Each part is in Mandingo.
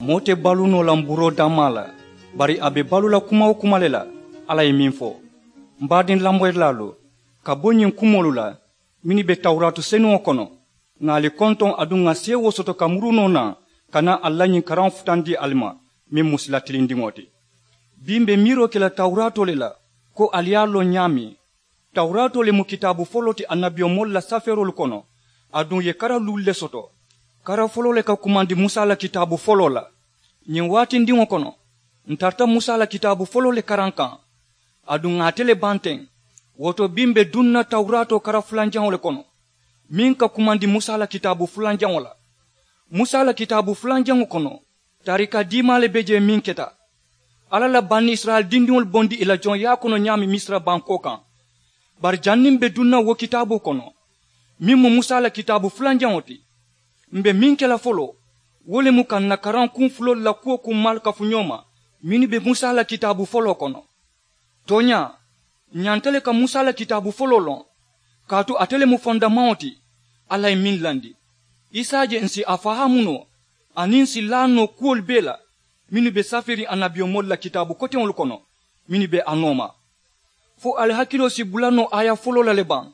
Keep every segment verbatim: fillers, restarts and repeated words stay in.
Moo te baluu noo la mburoo dammaa la, bari a be baluu la kuma-wo-kuma le la. Alla ye meŋ fo, m baadiŋ lamoyilaalu, ka bo ñiŋ kumoolu la mennu be tawuraatu senuŋo kono, ŋà ali kontoŋ aduŋ ŋà seewoo soto ka muru noo naŋ, ka naa ali la ñiŋ karaŋo futandi ali ma, meŋ mu sila tilindiŋo ti. Bii m be miiroo ke la tawuraatoo le la, ko ali ye a loŋ ñaameŋ. Tawuraatoo le mu kitaabu foloo ti annabiyomoolu la safeeroolu kono, aduŋ ì ye kara luulu le soto. Kara foloo le ka kumandi musa la kitaabu foloo la. Ñiŋ waatindiŋo kono, ǹ tarata musa la kitaabu foloo le karaŋ kaŋ, aduŋ ŋà ate le baŋ teŋ. Wo to bii m be duŋ na tawuraatoo kara fulanjaŋo le kono, meŋ ka kumandi musa la kitaabu fulanjaŋo la. Musa la kitaabu fulanjaŋo kono, taarika diimaa le be jee meŋ keta. Alla la banisirayila dindiŋolu bondi ì la joŋyaa kono ñaameŋ misira bankoo kaŋ. Bari janniŋ m be duŋ na wo kitaaboo kono, meŋ mu musa la kitaabu fulanjaŋo ti, m be meŋ ke la foloo, wo le mu ka ǹ na karaŋ kuŋ fuloolu la kuwo kummaalu kafu ñoo ma, mennu be musa la kitaabu foloo kono. Tooñaa, ǹ ñanta le ka musa la kitaabu foloo loŋ, kaatu ate le mu fondamaŋo ti. Alla ye meŋ landi, i si a je ǹ si a fahaamu noo, aniŋ ǹ si laa noo kuwolu bee la, mennu be safeeriŋ annabiyomoolu la kitaabu koteŋolu kono, mennu be a nooma. Fo ali hakiloo si bula noo aaya foloo la le baŋ,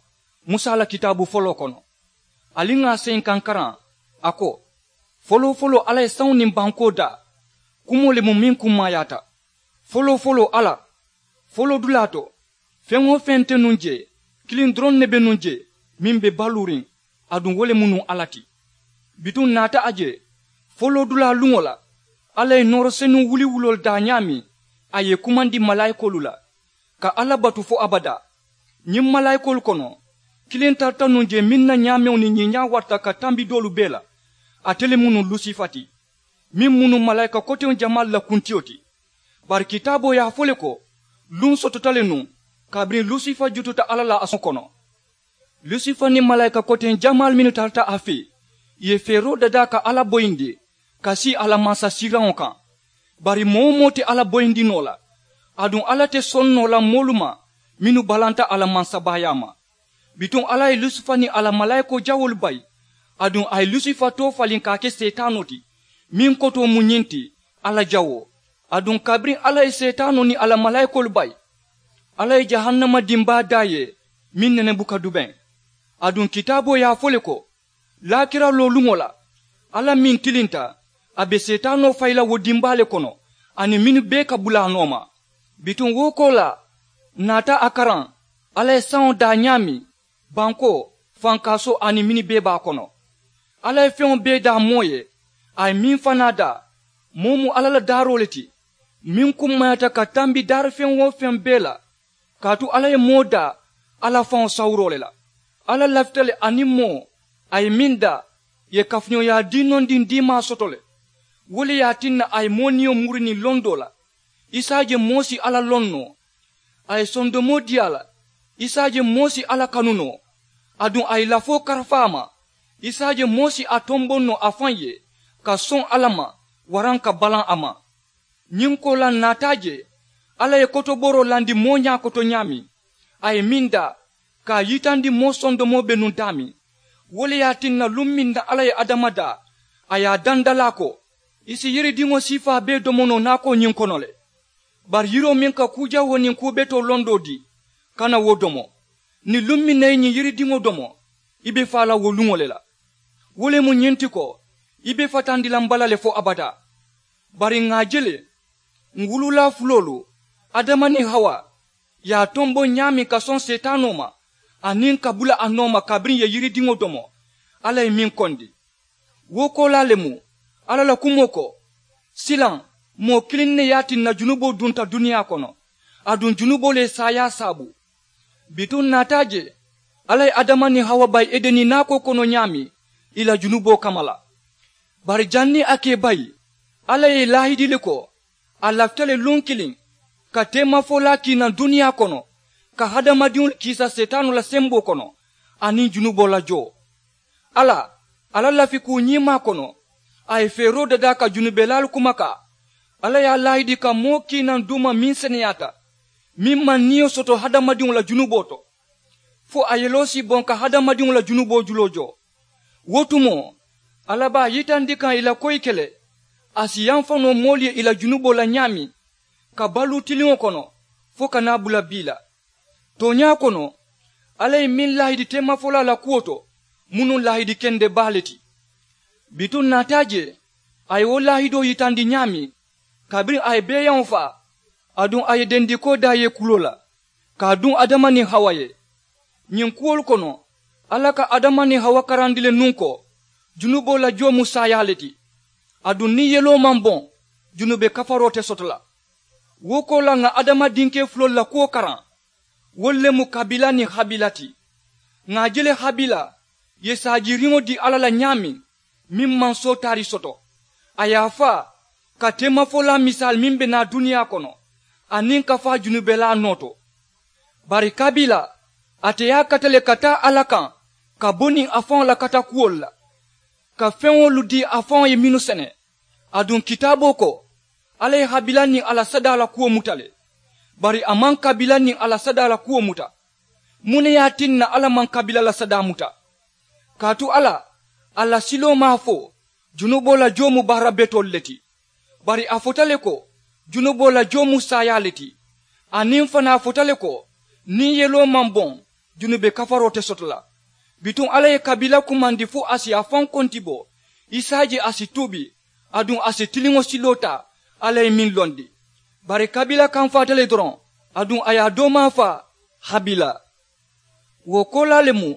musa la kitaabu foloo kono? Ali ŋà a seyinkaŋ karaŋ. A ko, foloo-foloo alla ye saŋo niŋ bankoo daa. Kumoo le mu meŋ kummaayaata. Foloo-foloo alla, foloo dulaa to, feŋ-wo-feŋ nte nuŋ jee, kiliŋ doroŋ ne be nuŋ jee, meŋ be baluuriŋ, aduŋ wo le mu nuŋ alla ti. Bituŋ ǹ naata a je, foloo dulaa luŋo la, alla ye nooro senuŋ wuliwuloolu daa ñaameŋ, a ye ì kumandi malaayikoolu la, ka alla batu fo abadaa. Ñiŋ malaayikoolu kono, kiliŋ tarata nuŋ jee meŋ na ñaameŋo niŋ ñiiñaa warata ka tambi doolu bee la. Ate le mu nuŋ lusifa ti, meŋ mu nuŋ malaayika koteŋ jamaalu la kuntiyo ti. Bari kitaaboo ye a fo le ko, luŋ sotota le nuŋ kabiriŋ lusifa jututa alla la a soŋo kono. Lusifa niŋ malaayika koteŋ jamaalu mennu tarata a fee, ì ye feeroo dadaa ka alla boyindi, ka sii a la mansasiiraŋo kaŋ. Bari moo-wo-moo te alla boyindi noo la, aduŋ alla te soŋ noo la moolu ma mennu balanta a la mansabaayaa ma. Bituŋ alla ye lusifa niŋ a la malaayikoo jawoolu bayi, aduŋ a ye lusifa too faliŋ ka a ke seetaanoo ti. Meŋ kotoo mu ñiŋ ti, alla jawoo. Aduŋ kabiriŋ alla ye seetaanoo niŋ a la malaayikoolu bayi, alla ye jahannama dimbaa daa ì ye, meŋ nene buka dubeŋ. Aduŋ kitaaboo ye a fo le ko, laakira looluŋo la, alla meŋ tilinta, a be seetaanoo fayi la wo dimbaa le kono, aniŋ mennu bee ka bula a nooma. Bituŋ wo koolaa, ǹ naata a karaŋ, alla ye saŋo daa ñaameŋ, bankoo, fankaasoo aniŋ mennu bee be a kono. Alla ye feŋo bee daa moo ye, a ye meŋ fanaa daa, moo mu alla la daaroo le ti, meŋ kummayaata ka tambi daari feŋ-wo-feŋ bee la. Kaatu alla ye moo daa alla faŋo sawuroo le la. Alla lafita le aniŋ moo, a ye meŋ daa, ì ye kafuñooyaa diinondiŋ diimaa soto le. Wo le ye a tinna a ye moo niyo muri niŋ londoo la. I si a je moo si alla loŋ noo, a ye sondomoo dii a la. I si a je moo si alla kanu noo, aduŋ a ye lafoo karafa a ma. I si a je moo si a tomboŋ noo a faŋ ye, ka soŋ alla ma, waraŋ ka balaŋ a ma. Ñiŋ koolaa ǹ naata a je, alla ye kotobooroo landi moo ñaakoto ñaameŋ, a ye meŋ daa, ka a yitandi moo sondomoo be nuŋ daameŋ. Wo le ye a tinna luŋ meŋ na alla ye adama daa, a ye a dandalaa ko, i si yiridiŋo siifaa bee domo noo naakoo ñiŋ kono le. Bari yiroo meŋ ka kuu jawoo niŋ kuu betoo londoo dii, kana wo domo. Niŋ luŋ meŋ na i ye ñiŋ yiridiŋo domo, i be faa la wo luŋo le la. Wo le mu ñiŋ ti ko, i be fatandi la m bala le fo abadaa. Bari ŋà a je le, ǹ wuluulaa fuloolu, adama niŋ hawa, ì ye a tomboŋ ñaameŋ ka soŋ seetaanoo ma, aniŋ ka bula a nooma kabiriŋ ì ye yiridiŋo domo, alla ye meŋ kondi. Wo koolaa le mu, alla la kumoo ko, silaŋ, moo kiliŋ ne ye a tinna junuboo dunta duniyaa kono, aduŋ junuboo le ye saayaa saabu. Bituŋ ǹ naata a je, alla ye adama niŋ hawa bayi edeni naakoo kono ñaameŋ, ì la junuboo kamma la. Bari janniŋ a ka ì bayi, alla ye ì laahidi le ko, a lafita le luŋ kiliŋ, ka teemafolaa kii naŋ duniyaa kono, ka hadamadiŋolu kiisa seetaanoo la semboo kono, aniŋ junuboo la joo. Alla, a la lafikuu ñiimaa kono, a ye feeroo dadaa ka junubelaalu kumakaa. Alla ye a laahidi ka moo kii naŋ duuma meŋ seneyaata, meŋ maŋ niyo soto hadamadiŋo la junuboo to, fo a yeloo si boŋ ka hadamadiŋo la junuboo juloo joo. Wo tumoo, alla be a yitandi kaŋ ì la koyi ke le, A si yamfa noo moolu ye ì la junuboo la ñaameŋ, ka baluu tiliŋo kono fo ka naa bula bii la. Tooñaa kono, alla ye meŋ laahidi teemafolaa la kuwo to, mu nuŋ laahidi kende baa le ti. Bituŋ naataa je, a ye wo laahidoo yitandi ñaameŋ, kabiriŋ a ye beeyaŋo faa, aduŋ a ye dendikoo daa ye kuloo la, ka a duŋ adama niŋ hawa ye. Ñiŋ kuwolu kono, alla ka adama niŋ hawa karandi le nuŋ ko, junuboo la joo mu saayaa le ti. Aduŋ niŋ yeloo maŋ boŋ, junube kafaroo te soto la. Wo koolaa ŋà adama dinkee fuloolu la kuwo karaŋ, wolu le mu kabila niŋ habila ti. Ŋà a je le habila ye saajiiriŋo dii alla la ñaameŋ, meŋ maŋ sootaari soto, a ye a faa ka teemafolaa misaali meŋ be naa duniyaa kono, aniŋ ka faa junubelaa noo to. Bari kabila, ate ye a kata le ka taa alla kaŋ, ka bo niŋ a faŋo la katakuwolu la, ka feŋolu dii a faŋo ye mennu sene. Aduŋ kitaaboo ko, alla ye habila niŋ a la sadaa la kuwo muta le. Bari a maŋ kabila niŋ a la sadaa la kuwo muta. Muŋ ne ye a tinna alla maŋ kabila la sadaa muta? Kaatu alla, a la siloo maŋ a fo junuboo la joo mu baara betoolu le ti. Bari a fota le ko, junuboo la joo mu saayaa le ti. Aniŋ fanaa a fota le ko, niŋ yeloo maŋ boŋ, junube kafaroo te soto la. Bituŋ alla ye kabila kumandi fo a si a faŋ konti bo, i si a je a si tuubi, aduŋ a si tiliŋo siloo taa, alla ye meŋ londi. Bari kabila kamfaata le doroŋ, aduŋ a ye a doomaa faa, habila. Wo koolaa le mu,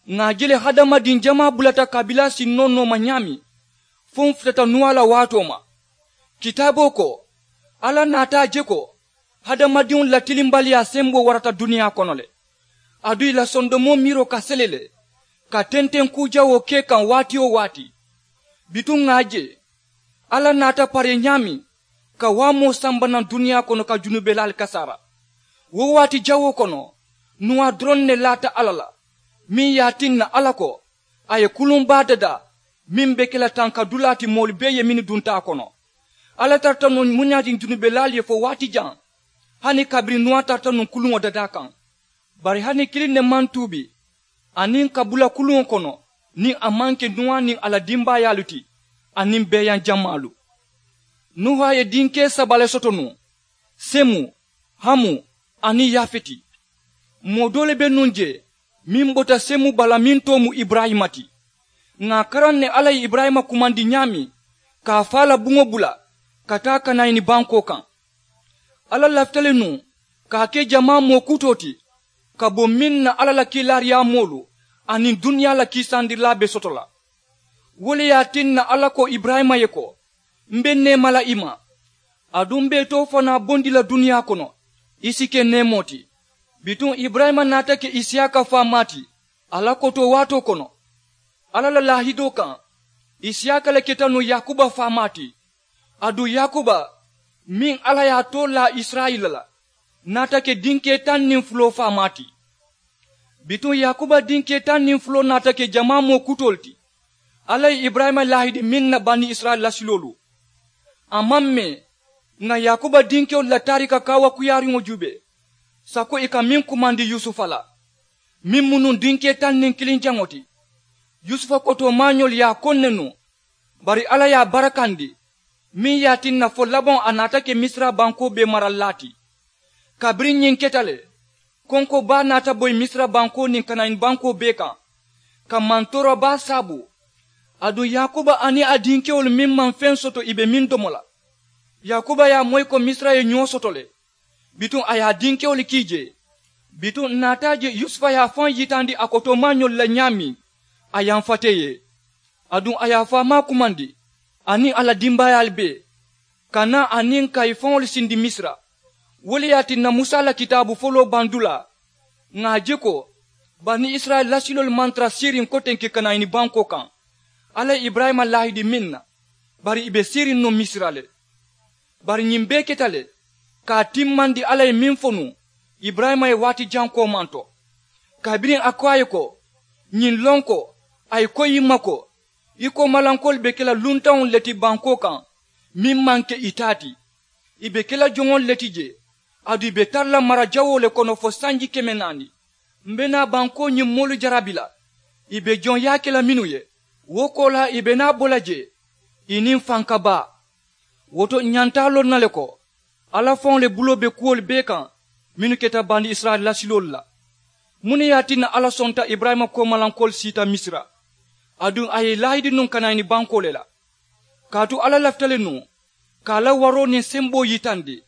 ŋà a je le hadamadiŋ jamaa bulata kabila sinnoo nooma ñaameŋ, fo m̀ futata nuwaa la waatoo ma. Kitaaboo ko, alla naata a je ko, hadamadiŋolu la tilimbaliyaa semboo warata duniyaa kono le. Aduŋ ì la sondomoo miiroo ka sele le, ka tenteŋ kuu jawoo ke kaŋ waati-wo-waati. Bituŋ ŋà a je, alla naata paree ñaameŋ, ka waamoo samba naŋ duniyaa kono ka junubelaalu kasaara. Wo waati jawoo kono, nuwaa doroŋ ne laata alla la, meŋ ye a tinna alla ko, a ye kuluŋ baa dadaa, meŋ be ke la tankadulaa ti moolu bee ye mennu dunta a kono. Alla tarata nuŋ muñaariŋ junubelaalu ye fo waati jaŋ, hani kabiriŋ nuwaa tarata nuŋ kuluŋo dadaa kaŋ. Bari hani kiliŋ ne maŋ tuubi, aniŋ ka bula kuluŋo kono, niŋ a maŋ ke nuwaa niŋ a la dimbaayaalu ti, aniŋ beeyaŋ jamaalu. Nuha ye dinkee saba le soto nuŋ, semu, hamu, aniŋ yafeti. Moo doo le be nuŋ jee, meŋ bota semu bala meŋ too mu iburayima ti. Ŋà a karaŋ ne alla ye iburayima kumandi ñaameŋ, ka a faa la buŋo bula, ka taa kanayini bankoo kaŋ. Alla lafita le nuŋ, ka a ke jamaa moo kutoo ti, ka bo meŋ na alla la kiilaariyaamoolu aniŋ duniyaa la kiisaandirilaa be soto la. Wo le ye a tinna alla ko iburayima ye ko, m̀ be neema la i ma, aduŋ m̀ be i too fanaa bondi la duniyaa kono, i si ke neemoo ti. Bituŋ iburayima naata ke isiyaaka faamaa ti, a la kotoo waatoo kono. Alla la laahidoo kaŋ, isiyaaka le keta nuŋ yaakuba faamaa ti. Aduŋ yaakuba, meŋ alla ye a too laa isirayila la, naata ke dinkee taŋ niŋ fuloo faamaa ti. Bituŋ yaakuba dinkee taŋ niŋ fuloo naata ke jamaa moo kutoolu ti, alla ye iburayima laahidi meŋ na bani isirayila lasiloolu. A maŋ mee, ŋà yaakuba dinkewolu la taarika kaawakuyaariŋo juubee, sako ì ka meŋ kumandi yusufa la, meŋ mu nuŋ dinkee taŋ niŋ kiliŋ jaŋo ti. Yusufa kotoomaañolu ye a koŋ ne nuŋ, bari alla ye a barakandi, meŋ ye a tinna fo labaŋo a naata ke misira bankoo bee maralilaa ti. Kabiriŋ ñiŋ keta le, konko baa naata boyi misira bankoo niŋ kanayini bankoo bee kaŋ, ka mantoora baa saabu. Aduŋ yaakuba aniŋ a dinkewolu meŋ maŋ feŋ soto ì be meŋ domo la. Yaakuba ye a moyi ko misira ye ñoo soto le. Bituŋ a ye a dinkewolu kii jee. Bituŋ ǹ naata a je yusufa ye a faŋ yitandi a kotoomaañolu la ñaameŋ, a yamfata ì ye. Aduŋ a ye a faamaa kumandi, aniŋ a la dimbaayaalu bee, ka naa aniŋ ka ì faŋolu sindi misira. Wo le ye a tinna musa la kitaabu foloo bandulaa, ŋà a je ko, bani isirayila lasiloolu maŋ tara siiriŋ kotenke kanayini bankoo kaŋ, alla ye iburayima laahidi meŋ na, bari ì be siiriŋ nuŋ misira le. Bari ñiŋ bee keta le, ka a timmandi alla ye meŋ fo nuŋ, iburayima ye waati jaŋ koomanto. Kabiriŋ a ko a ye ko, ñiŋ loŋ ko, a ye koyi ì ma ko, i koomalankoolu be ke la luntaŋolu le ti bankoo kaŋ, meŋ maŋ ke ì taa ti. Ì be ke la joŋolu le ti jee, aduŋ ì be tara la mara jawoo le kono fo sanji keme naani. M̀ be naa bankoo ñiŋ moolu jarabi la, ì be joŋ yaake la mennu ye, wo koolaa ì be naa bo la jee, ì niŋ fanka baa. Wo to ǹ ñanta a loŋ na le ko alla faŋo le buloo be kuwolu bee kaŋ mennu keta bani isirayila lasiloolu la. Muŋ ne ye a tinna alla sonta iburayima koomalankoolu siita misira, aduŋ a ye i laahidi nuŋ ka naa i ni bankoo le la? Kaatu alla lafita le nuŋ ka a la waroo niŋ semboo yitandi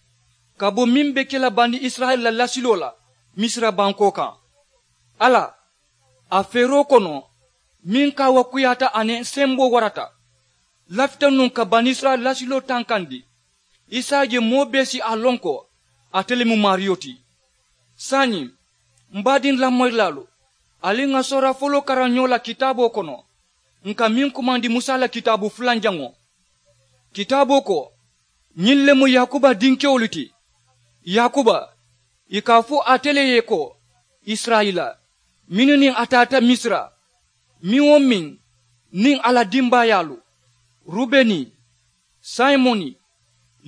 ka bo meŋ be ke la bani isirayila la lasiloo la misira bankoo kaŋ. Alla a feeroo kono meŋ kaawakuyaata aniŋ semboo warata lafita nuŋ ka bani isirayila lasiloo tankandi. Isa ye moo bee si a loŋ ko ate le mu maariyo ti. Saayiŋ m baadiŋ lamoyilaalu, ali ŋà soora foloo karaŋ ñoo la kitaaboo kono ǹ ka meŋ kumandi musa la kitaabu fulanjaŋo. Kitaaboo ko ñiŋ le mu yaakuba dinkewolu ti. Yaakuba ì ka a fo ate le ye ko isirayila mennu niŋ a taata misira, meŋ-wo-meŋ niŋ a la dimbaayaalu, rubeni, simoni,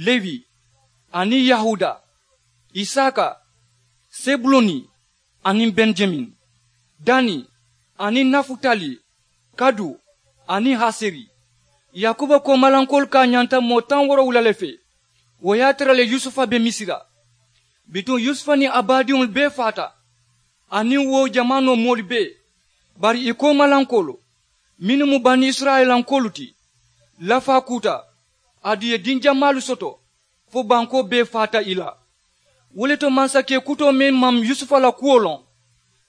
lewi, aniŋ yahuda, isaka, sebuloni, aniŋ benjamin, dani, aniŋ nafutali, kadu, aniŋ haseri. Yaakuba koomalankoolu ka a ñanta moo taŋ woorowula le fee. Wo ye a tara le yusufa be misira. Bituŋ yusufa niŋ a baadiŋolu bee faata, aniŋ wo jamaanoo moolu bee. Bari ì koomalankoolu mennu mu bani isirayilankoolu ti, lafaa kuuta, aduŋ ì ye dinjamaalu soto fo bankoo bee faata ì la. Wo le to mansakee kutoo meŋ maŋ yusufa la kuwo loŋ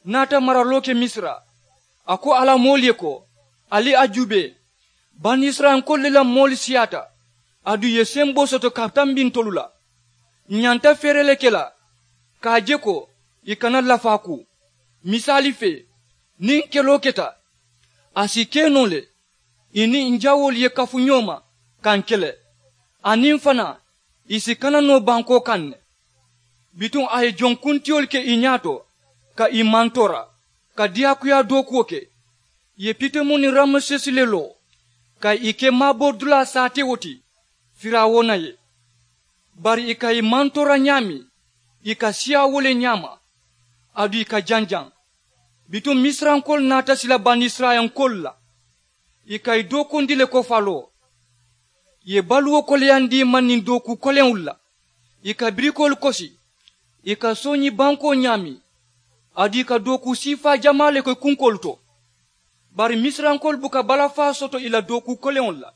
naata maraloo ke misira. A ko a la moolu ye ko, ali a juubee, bani isirayilankoolu le la moolu siyaata, aduŋ ì ye semboo soto ka tambi ntolu la. Ǹ ñanta feere le ke la ka a je ko ì kana lafaa kuu. Misaali fee, niŋ keloo keta, a si ke noo le ì niŋ ǹ jawoolu ye kafu ñoo ma ka ǹ kele, aniŋ fanaa ì si kana noo bankoo kaŋ ne. Bituŋ a ye jonkuntiyolu ke ì ñaato ka ì mantoora ka diyaakuyaa dookuwo ke. Ì ye pitomu niŋ ramesesi le loo ka ì ke maaboridulaa saatewo ti firawuna ye. Bari ì ka ì mantoora ñaameŋ ì ka siyaa wo le ñaama. Aduŋ ì ka janjaŋ. Bituŋ misirankoolu naata sila banisirayilankoolu la. Ì ka ì dookundi le ko faloo. Ì ye baluwo koleyandi ì ma niŋ dookuu koleŋolu la. Ì ka birikoolu kosi. Ì ka sooñi bankoo ñaameŋ. Aduŋ ì ka dookuu siifaa jamaa le ke kunkoolu to. Bari misirankoolu buka balafaa soto ì la dookuu koleŋolu la.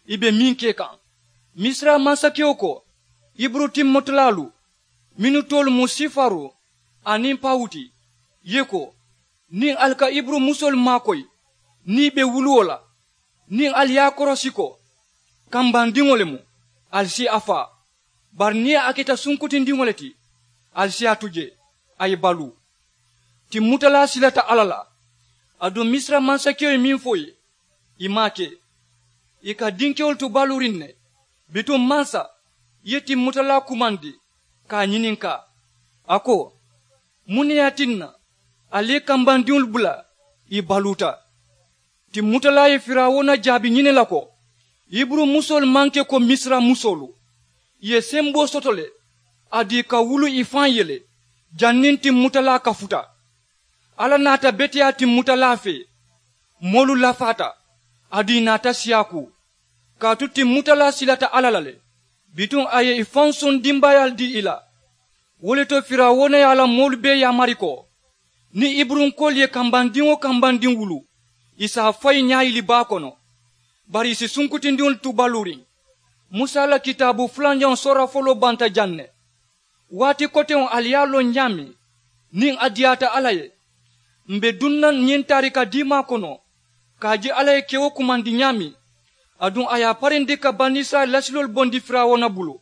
Ì be meŋ ke kaŋ, misira mansakewo ko, iburu timmutalaalu mennu toolu mu sifaru aniŋ pawuti, ye ko, niŋ ali ka iburu musoolu maakoyi niŋ ì be wuluwo la, niŋ ali ye a korosi ko kambandiŋo le mu, ali si a faa. Bari niŋ a keta sunkutindiŋo le ti, ali si a tu jee a ye baluu. Timmutalaa silata alla la. Aduŋ misira mansakewo ye meŋ fo ì ye, ì maŋ a ke. Ì ka dinkewolu tu baluuriŋ ne. Bituŋ mansa, i ye timmutalaa kumandi ka a ñininkaa. A ko, muŋ ne ye a tinna ali ye kambandiŋolu bula ì baluuta? Timmutalaa ye firawuna jaabi ñini la ko, iburu musoolu maŋ ke ko misira musoolu. Ì ye semboo soto le, aduŋ ì ka wulu ì faŋ ye le. Janniŋ timmutalaa kafuta, alla naata beteyaa timmutalaa fee. Moolu lafaata, aduŋ ì naata siyaakuu. Kaatu timmutalaa silata alla la le. Bituŋ a ye ì faŋ soŋ dimbaayaalu dii ì la. Wo le to firawuna ye a la moolu bee yaamari ko, niŋ iburunkoolu ye kambandiŋ-wo-kambandiŋ wulu, ì si a fayi ñaayili baa kono. Bari ì si sunkutindiŋolu tu baluuriŋ. Musa la kitaabu fulanjaŋo soora foloo banta jaŋ ne. Waati koteŋo ali ye a loŋ ñaameŋ, niŋ a diyaata alla ye, m̀ be duŋ na ñiŋ taarika diimaa kono ka a je alla ye kewo kumandi ñaameŋ, aduŋ a ye a parindi ka banisirayila lasiloolu bondi firawuna bulu.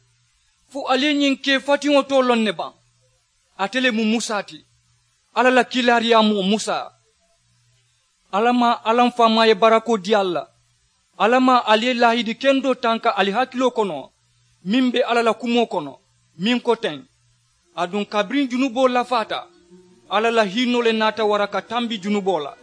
Fo ali ye ñiŋ kee fatiŋo too loŋ ne baŋ? Ate le mu musa ti, alla la kiilaariyaamoo musa. Alla maŋ alla m faamaa ye barakoo dii ali la. Alla maŋ ali ye laahidi kendoo tanka ali hakiloo kono meŋ be alla la kumoo kono, meŋ ko teŋ, aduŋ kabiriŋ junuboo lafaata, alla la hiinoo le naata wara ka tambi junuboo la.